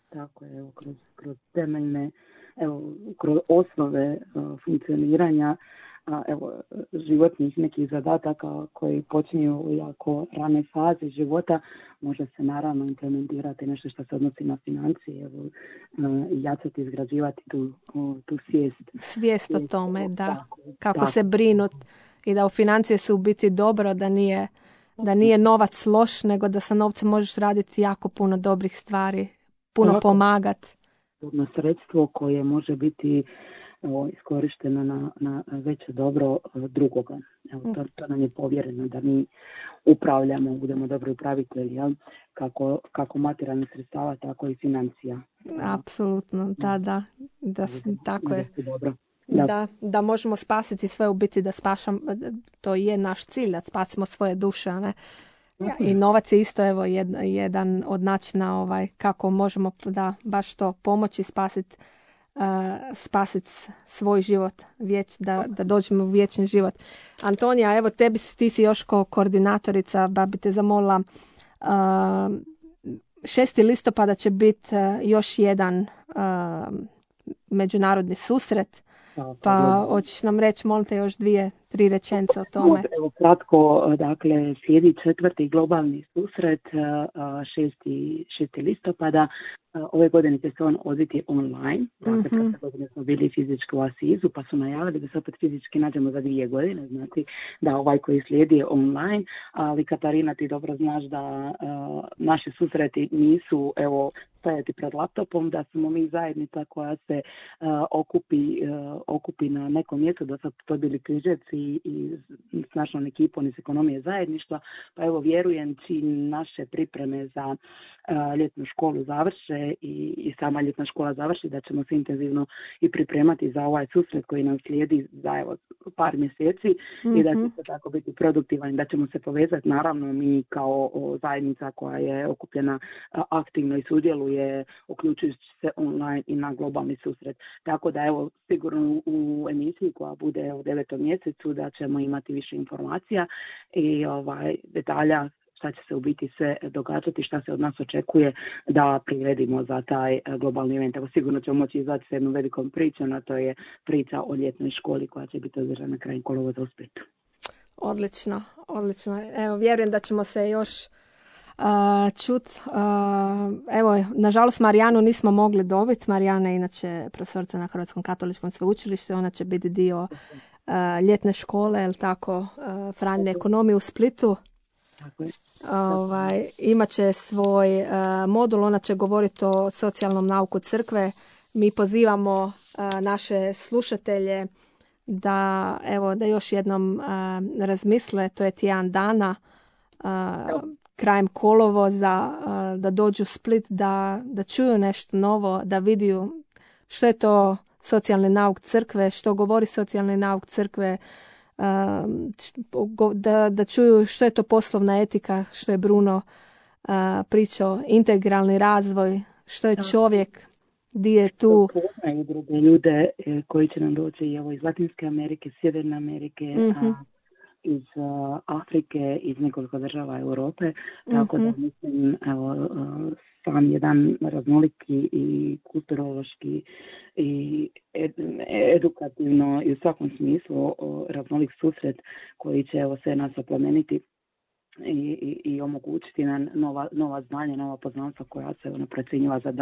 Tako je, evo, kroz temeljne, evo, kroz osnove funkcioniranja, evo, životnih nekih zadataka koji počinju u jako rane fazi života, može se naravno implementirati nešto što se odnosi na financije, evo, i jačati, izgrađivati tu svijest. Svijest o tome, da. Tako, Kako tako. se brinut i da u financije su u biti dobro, da nije novac loš, nego da sa novcem možeš raditi jako puno dobrih stvari, puno Tako. pomagat. Na sredstvo koje može biti iskorišteno na veće dobro drugoga. Evo, to nam je povjereno da mi upravljamo, budemo dobri upravitelji, jel? Kako materijalnih sredstava, tako i financija. Apsolutno, da, tako je. Dobro. Da možemo spasiti sve, u biti da spašamo, to je naš cilj, da spasimo svoje duše, ne? I novac je isto, evo, jedan od načina kako možemo baš to pomoći spasiti svoj život, da dođemo u vječni život. Antonija, evo ti si još kao koordinatorica, ba bi te zamolila, 6. listopada će biti još jedan međunarodni susret, pa hoćeš nam reći, molim te, još 2-3 rečenice o tome. Evo, kratko, dakle, slijedi 4. globalni susret, 6. listopada. Ove godine će se on odviti online. Dakle, prošle godine smo bili fizički u Asizu, pa su najavili da se opet fizički nađemo za 2 godine. Znači da ovaj koji slijedi je online, ali Katarina, ti dobro znaš da naši susreti nisu, evo, stajati pred laptopom, da smo mi zajednica koja se okupi na nekom mjestu, da su to bili Križevci i s našom ekipom iz ekonomije zajedništva. Pa evo, vjerujem, čim naše pripreme za ljetnu školu završe i sama ljetna škola završi, da ćemo se intenzivno i pripremati za ovaj susret koji nam slijedi za evo par mjeseci i da će se tako biti produktivan, da ćemo se povezati, naravno mi kao zajednica koja je okupljena aktivno i sudjeluje, uključujući se online i na globalni susret. Tako da evo, sigurno u emisiji koja bude u 9. mjesecu da ćemo imati više informacija i detalja šta će se u biti sve događati, šta se od nas očekuje da priredimo za taj globalni event. Evo, sigurno ćemo moći izaći s jednom velikom pričom, a to je priča o ljetnoj školi koja će biti održana krajem kolovoza u Splitu. Odlično. Evo, vjerujem da ćemo se još čut. Evo, nažalost Marijanu nismo mogli dobiti. Marijana je inače profesorica na Hrvatskom katoličkom sveučilištu, ona će biti dio ljetne škole, jel tako, Franjine ekonomije u Splitu. Imat će svoj modul, ona će govoriti o socijalnom nauku crkve. Mi pozivamo naše slušatelje da još jednom razmisle, to je tjedan dana, krajem kolovoza, da dođu u Split, da čuju nešto novo, da vidiju što je to socijalni nauk crkve, što govori socijalni nauk crkve, da čuju što je to poslovna etika, što je Bruno pričao, integralni razvoj, što je čovjek, gdje je tu. Poznaju druge ljude koji će nam doći iz Latinske Amerike, Sjeverne Amerike, iz Afrike, iz nekoliko država Europe, tako da mislim, sam jedan raznoliki i kulturološki i edukativno i u svakom smislu raznolik susret koji će sve nas oplemeniti i omogućiti nam nova znanja, nova poznanstva koja se procjenjiva za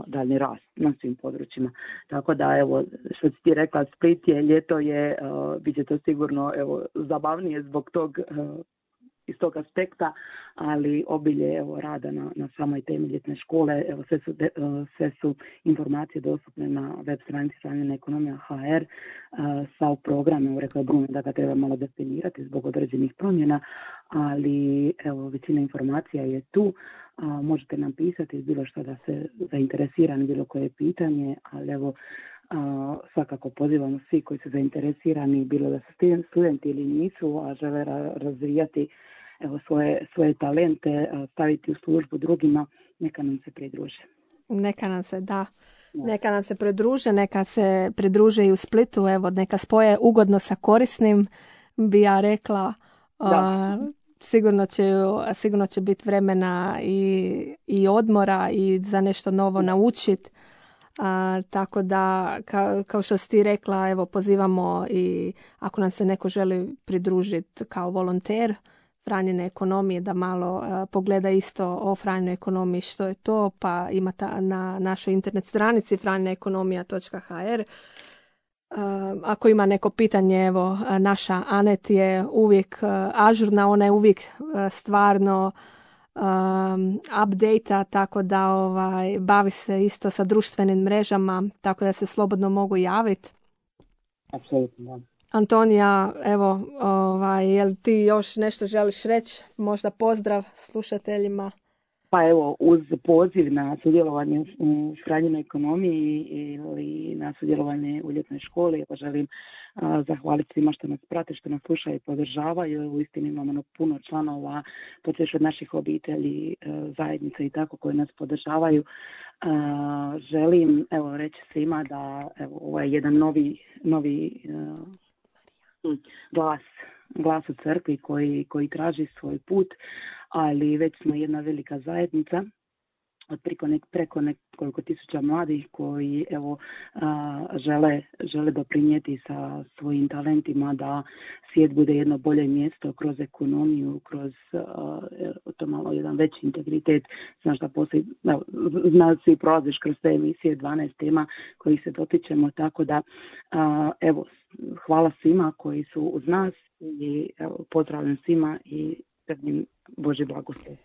daljni rast na svim područjima. Tako da, evo, što si ti rekla, Split je, ljeto je, bit će to sigurno zabavnije zbog tog iz tog aspekta, ali obilje rada na samoj temi ljetne škole. Evo, sve su informacije dostupne na web stranici Franjina ekonomija HR sa programom. Rekla je Bruno da ga treba malo definirati zbog određenih promjena, ali evo, većina informacija je tu. Možete nam pisati bilo što da se zainteresirani, bilo koje pitanje, ali evo, svakako pozivamo svi koji su zainteresirani, bilo da su studenti ili nisu, a žele razvijati svoje talente, staviti u službu drugima, neka nam se pridruže. Neka nam se pridruže, neka se pridruže i u Splitu, evo, neka spoje ugodno sa korisnim, bi ja rekla. sigurno će biti vremena i odmora i za nešto novo naučiti. Tako da, kao što si ti rekla, evo, pozivamo i ako nam se neko želi pridružiti kao volonter Franjine ekonomije, da malo pogleda isto o Franjinoj ekonomiji što je to, pa ima na našoj internet stranici franjinaekonomija.hr. Ako ima neko pitanje, evo, naša Anet je uvijek ažurna, ona je uvijek stvarno update-a, tako da bavi se isto sa društvenim mrežama, tako da se slobodno mogu javiti. Apsolutno, da. Antonija, evo, jel ti još nešto želiš reći? Možda pozdrav slušateljima. Pa evo, uz poziv na sudjelovanje u Franjinoj ekonomiji ili na sudjelovanje u ljetnoj školi, evo želim zahvaliti svima što nas prate, što nas slušaju i podržavaju. Uistinu imamo puno članova, počeš od naših obitelji, zajednice i tako koji nas podržavaju. Želim reći svima da ovo je jedan novi glas u crkvi koji traži svoj put, ali već smo jedna velika zajednica od preko nekoliko tisuća mladih koji žele doprinijeti sa svojim talentima da svijet bude jedno bolje mjesto kroz ekonomiju, kroz to malo jedan veći integritet. Znaš da postoji, svi prolaziš kroz te emisije 12 tema koji se dotičemo, tako da hvala svima koji su uz nas i pozdravljam svima i Božji blagoslov.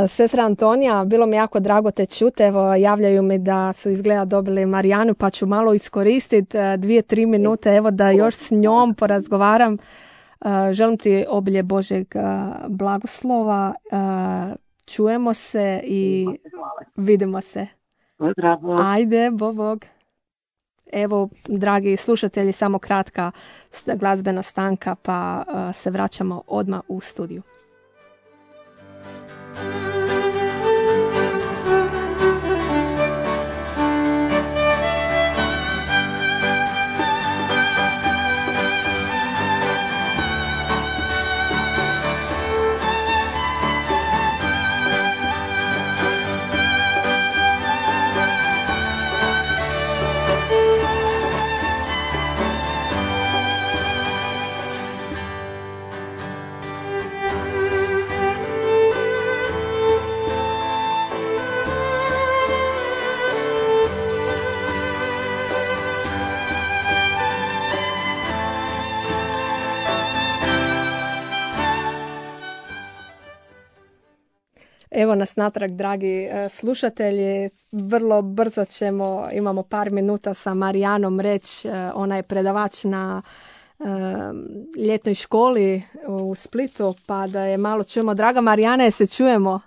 Sestra Antonija, bilo mi jako drago te čuti. Evo, javljaju mi da su izgleda dobili Marijanu, pa ću malo iskoristiti 2-3 minute, evo, da još s njom porazgovaram. Želim ti obilje Božjeg blagoslova. Čujemo se i vidimo se. Pozdrav. Ajde, bog. Evo, dragi slušatelji, samo kratka glazbena stanka, pa se vraćamo odmah u studiju. Evo nas natrag, dragi slušatelji. Vrlo brzo imamo par minuta sa Marijanom reći. Ona je predavač na ljetnoj školi u Splitu, pa da je malo čujemo. Draga Marijana, se čujemo?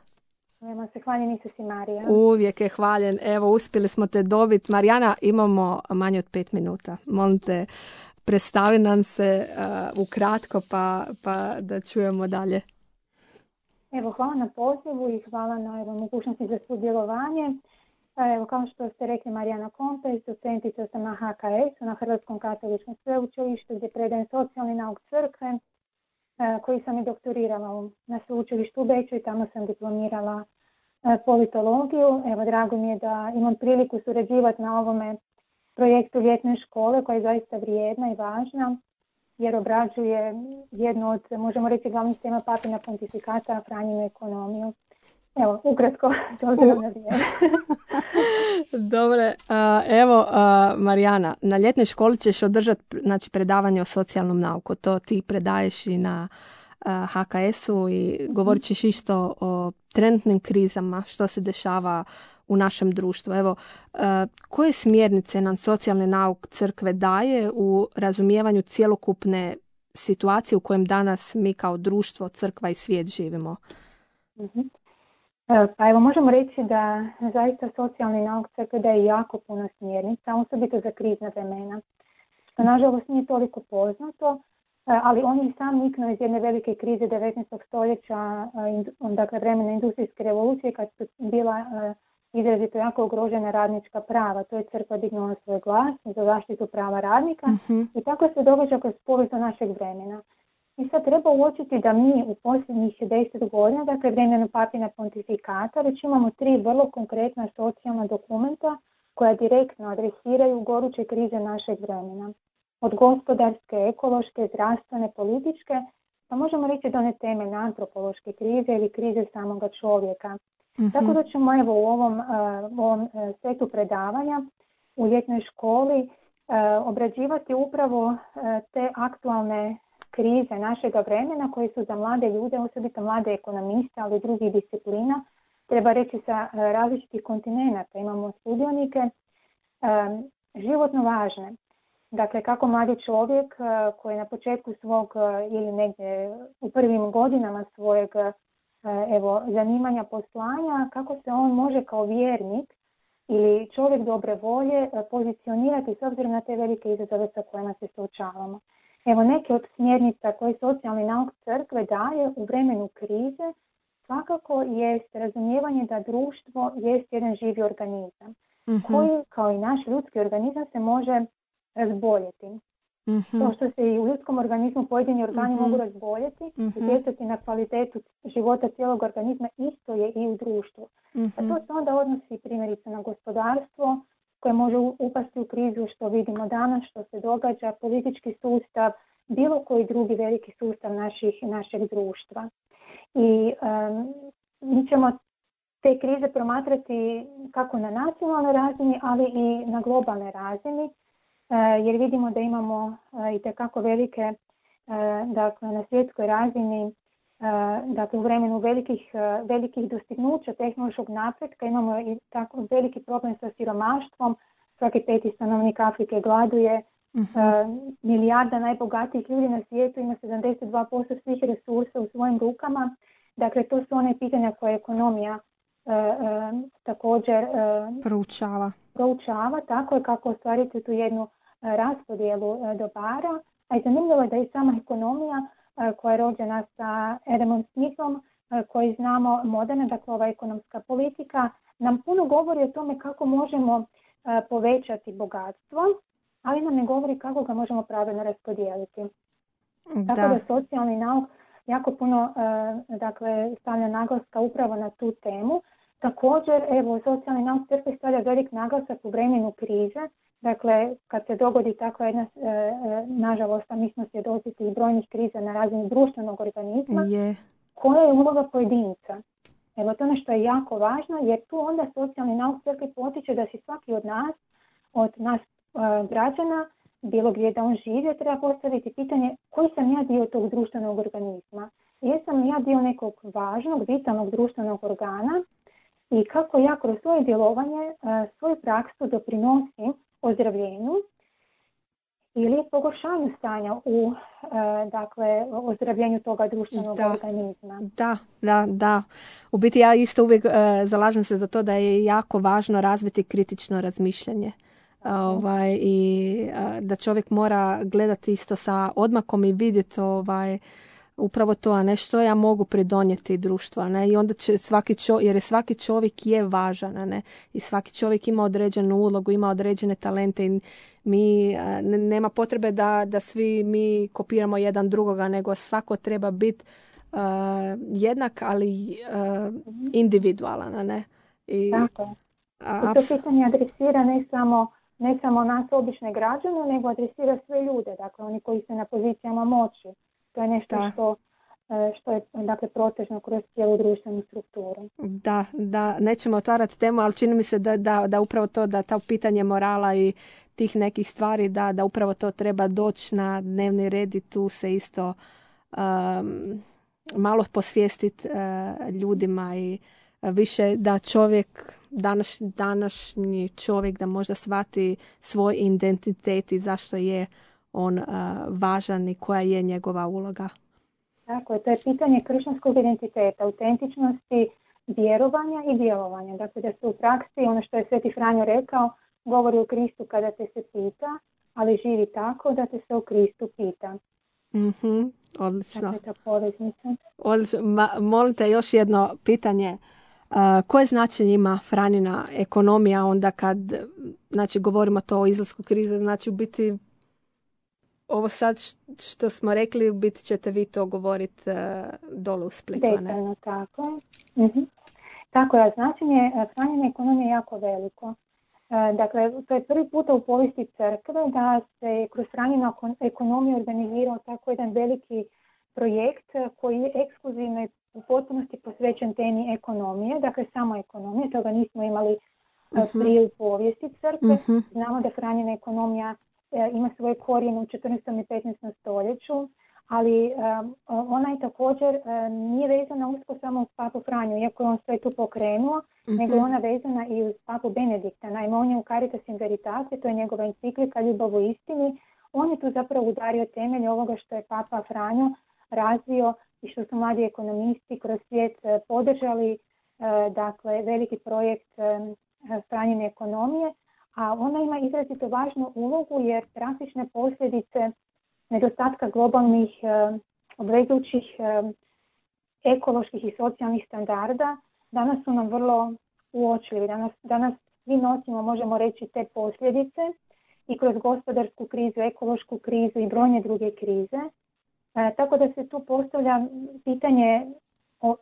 Čujemo se, hvaljen Isus i Marija. Uvijek je hvaljen. Evo, uspjeli smo te dobiti. Marijana, imamo manje od 5 minuta. Molim te, predstavi nam se ukratko, pa da čujemo dalje. Evo, hvala na pozivu i hvala na mogućnosti za sudjelovanje. Evo, kao što ste rekli, Marijana Kompes, docentica sam na HKS-u, na Hrvatskom katoličkom sveučilištu, gdje predajem socijalni nauk crkve, koji sam i doktorirala na sveučilištu u Beču i tamo sam diplomirala politologiju. Evo, drago mi je da imam priliku surađivati na ovome projektu ljetne škole, koja je zaista vrijedna i važna, jer obrađuje jednu od, možemo reći, glavnih tema papina pontifikata, Franjinu ekonomiju. Evo, ukratko, to je na vrijeme. Dobre, evo, Marijana, na ljetnoj školi ćeš održati predavanje o socijalnom nauku. To ti predaješ i na HKS-u i govorit ćeš isto o trenutnim krizama, što se dešava u našem društvu. Evo, koje smjernice nam socijalni nauk crkve daje u razumijevanju cjelokupne situacije u kojem danas mi kao društvo, crkva i svijet živimo? Pa evo, možemo reći da zaista socijalni nauk crkve daje jako puno smjernica, osobito za krizna vremena, što nažalost nije toliko poznato, ali on je sam niknuo iz jedne velike krize 19. stoljeća, dakle vremena industrijske revolucije, kad su bila izrazito jako ugrožena radnička prava. To je crkva dignula svoj glas za zaštitu prava radnika i tako se događa kroz povijest našeg vremena. I sad treba uočiti da mi u posljednjih 10 godina, dakle vremenu papina pontifikata, već imamo 3 vrlo konkretna socijalna dokumenta koja direktno adresiraju goruće krize našeg vremena. Od gospodarske, ekološke, zdravstvene, političke, pa možemo reći do one temeljne antropološke krize ili krize samoga čovjeka. Mhm. Tako da ćemo evo u ovom setu predavanja u ljetnoj školi obrađivati upravo te aktualne krize našega vremena koje su za mlade ljude, osobito mlade ekonomiste, ali i drugih disciplina, treba reći sa različitih kontinenata. Imamo sudionike životno važne. Dakle, kako mladi čovjek koji na početku svog ili negdje u prvim godinama svojeg zanimanja, poslanja, kako se on može kao vjernik ili čovjek dobre volje pozicionirati s obzirom na te velike izazove sa kojima se suočavamo. Evo neke od smjernica koje socijalni nauk crkve daje u vremenu krize svakako jest razumijevanje da društvo jest jedan živi organizam koji, kao i naš ljudski organizam, se može razboljeti. To što se i u ljudskom organizmu pojedini organi mogu razboljeti, utjecati na kvalitetu života cijelog organizma, isto je i u društvu. A to se onda odnosi primjerice na gospodarstvo koje može upasti u krizu, što vidimo danas, što se događa, politički sustav, bilo koji drugi veliki sustav našeg društva. I mi ćemo te krize promatrati kako na nacionalnoj razini, ali i na globalnoj razini, jer vidimo da imamo itekako velike, dakle na svjetskoj razini, dakle u vremenu velikih dostignuća tehnološkog napretka imamo i tako veliki problem sa siromaštvom. Svaki 5. stanovnik Afrike gladuje, milijarda najbogatijih ljudi na svijetu ima 72% svih resursa u svojim rukama. Dakle, to su one pitanja koje ekonomija također proučava, tako je kako ostvariti tu jednu raspodjelu dobara. A i zanimljivo je da i sama ekonomija koja je rođena sa Adamom Smithom, koji znamo moderna, dakle ova ekonomska politika, nam puno govori o tome kako možemo povećati bogatstvo, ali nam ne govori kako ga možemo pravilno raspodijeliti. Tako da socijalni nauk jako puno dakle, stavlja naglaska upravo na tu temu. Također, evo, socijalni nauk crkve stavlja velik naglasak u vremenu krize. Dakle, kad se dogodi takva jedna, nažalost, a mi smo svjedoci tih brojnih kriza na razini društvenog organizma, koja je uloga pojedinca. Evo, to ono što je jako važno, jer tu onda socijalni nauk crkve potiče da si svaki od nas građana, bilo gdje da on živi, treba postaviti pitanje koji sam ja dio tog društvenog organizma. Jesam ja dio nekog važnog, vitalnog društvenog organa i kako ja kroz svoje djelovanje, svoju praksu doprinosim ozdravljenju ili pogoršanju stanja u dakle, ozdravljenju toga društvenog organizma. Da. U biti ja isto uvijek zalažem se za to da je jako važno razviti kritično razmišljanje. I da čovjek mora gledati isto sa odmakom i vidjeti upravo to, a ne što ja mogu pridonijeti društvu, a ne? I onda će jer svaki čovjek je važan, a ne? I svaki čovjek ima određenu ulogu, ima određene talente i mi nema potrebe da svi mi kopiramo jedan drugoga, nego svako treba biti jednak, ali individualan, a ne? I to pitanje adresira ne samo nas obične građane, nego adresira sve ljude, dakle oni koji su na pozicijama moći. To je nešto što je dakle, protežno kroz cijelu društvenu strukturu. Da, nećemo otvarati temu, ali čini mi se da upravo to, da to pitanje morala i tih nekih stvari, da upravo to treba doći na dnevni red i tu se isto malo posvijestiti ljudima i više da čovjek, današnji čovjek da možda shvati svoj identitet i zašto je on važan i koja je njegova uloga. Tako je, to je pitanje kršćanskog identiteta, autentičnosti, vjerovanja i djelovanja. Dakle, da se u praksi, ono što je Sveti Franjo rekao, govori o Kristu kada te se pita, ali živi tako da te se o Kristu pita. Odlično. Dakle, ta poveznica. Odlično. Molim te još jedno pitanje. Koje značenje ima Franjina ekonomija onda kad, znači, govorimo to o izlasku krize, znači u biti ovo sad što smo rekli, bit ćete vi to govoriti dole u Splitu, ne? Detaljno, tako je. Tako je, značenje hranjene ekonomije je jako veliko. Dakle, to je prvi puta u povijesti crkve da se kroz hranjenu ekonomiju organizirao tako jedan veliki projekt koji je ekskluzivno i u potpunosti posvećen temi ekonomije, dakle samo ekonomije, toga nismo imali prije u povijesti crkve. Znamo da hranjena ekonomija ima svoje korijene u 14. i 15. stoljeću, ali ona je također nije vezana usko samo uz papu Franju, iako je on sve tu pokrenuo, nego je ona vezana i uz papu Benedikta. Naime, on je u Caritas in Veritate, to je njegova enciklika Ljubav u istini. On je tu zapravo udario temelj ovoga što je papa Franjo razvio i što su mladi ekonomisti kroz svijet podržali, dakle veliki projekt hranjene ekonomije, a ona ima izrazito važnu ulogu jer drastične posljedice nedostatka globalnih obvezujućih ekoloških i socijalnih standarda danas su nam vrlo uočljivi. Danas svi nosimo, možemo reći, te posljedice i kroz gospodarsku krizu, ekološku krizu i brojne druge krize. Tako da se tu postavlja pitanje o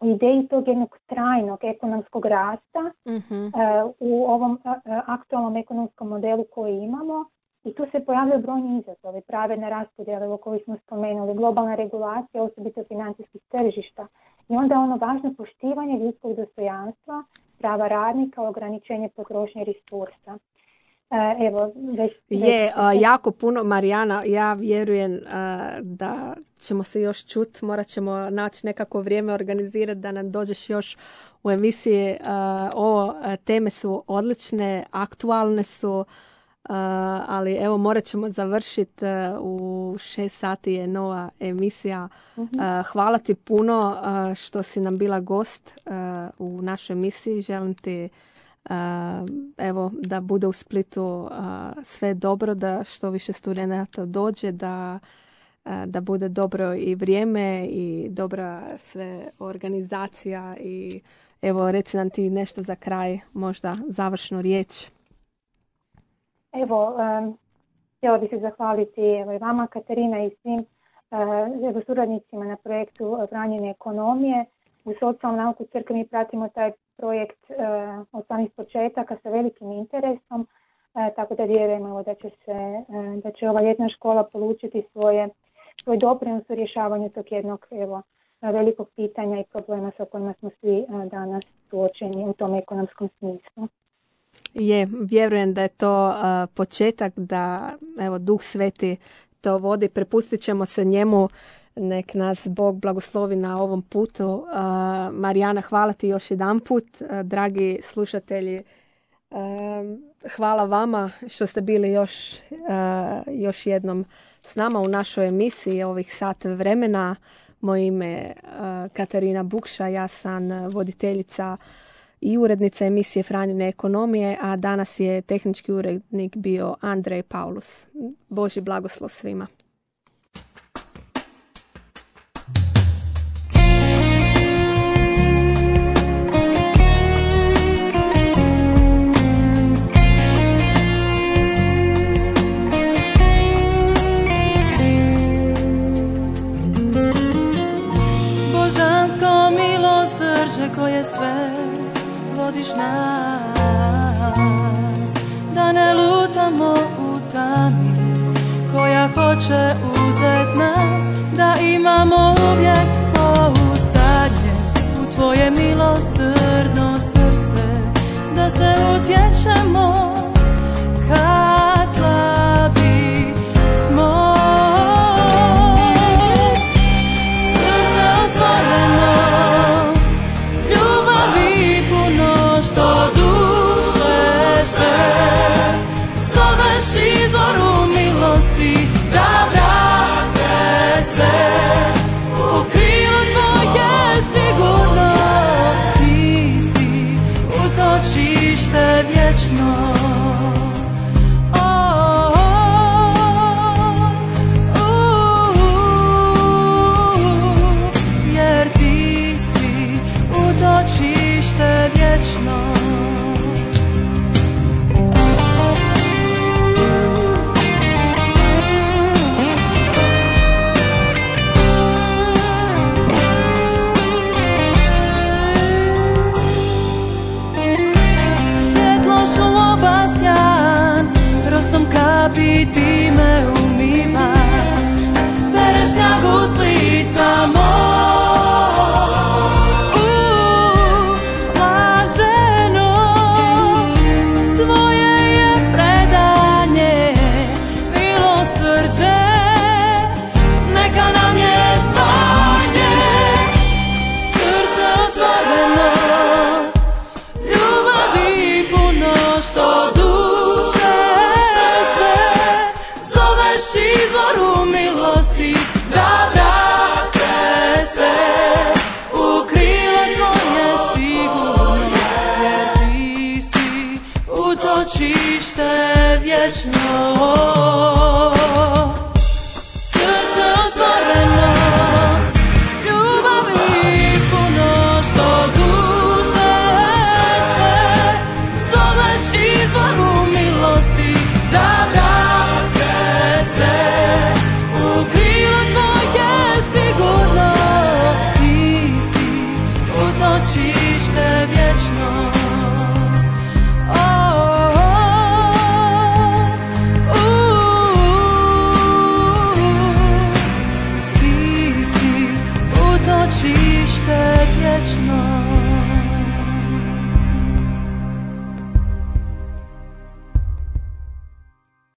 ideji tog jednog trajnog ekonomskog rasta u ovom aktualnom ekonomskom modelu koji imamo. I tu se pojavljaju brojni izazovi, pravedne raspodjele o kojoj smo spomenuli, globalna regulacija, osobito financijskih tržišta. I onda ono važno poštivanje ljudskog dostojanstva, prava radnika, ograničenje potrošnje resursa. Evo, jako puno, Marijana, ja vjerujem da ćemo se još čuti, morat ćemo naći nekako vrijeme organizirati da nam dođeš još u emisiji. Teme su odlične, aktualne su, ali evo morat ćemo završiti, u 6 sati je nova emisija. Hvala ti puno što si nam bila gost u našoj emisiji. Želim ti evo da bude u Splitu sve dobro, da što više studenata dođe, da bude dobro i vrijeme i dobra sve organizacija. I evo reci nam ti nešto za kraj, možda završnu riječ. Evo, htjela bih se zahvaliti i vama, Katarina, i svim suradnicima na projektu hranjene ekonomije. U socijalnom nauku crkve mi pratimo taj projekt od samih početaka sa velikim interesom, tako da vjerujemo da će ova ljetna škola polučiti svoj doprinos u rješavanju tog jednog velikog pitanja i problema sa kojima smo svi danas suočeni u tom ekonomskom smislu. Vjerujem da je to početak, da Duh Sveti to vodi. Prepustit ćemo se njemu, nek nas Bog blagoslovi na ovom putu. Marijana, hvala ti još jedan put. Dragi slušatelji, hvala vama što ste bili još jednom s nama u našoj emisiji ovih sat vremena. Moje ime je Katarina Bukša, ja sam voditeljica i urednica emisije Hranjene ekonomije, a danas je tehnički urednik bio Andrej Paulus. Božji blagoslov svima. Božansko milosrđe koje sve vodiš nas, da ne lutamo u tami koja hoće uzet nas, da imamo uvijek pouzdanje u tvoje milosrdno srce, da se utječemo kad slabi smo. Srce otvoreno, ljubavi puno, što duše sve zoveš izvoru milosti, da vrate se u krilo tvoje sigurno. Ti si utočište vječno. Jer ti si utočište vječno. kapi ti me umivaš, bereš ljagu s lica moj. Blaženo, tvoje je predanje, milosrđe, neka nam je zvanje, srce otvoreno, ljubavi puno što duše sve, zoveš izvoru milosti da vrate se u krile tvoje sigurno, jer ti si utočište vječno.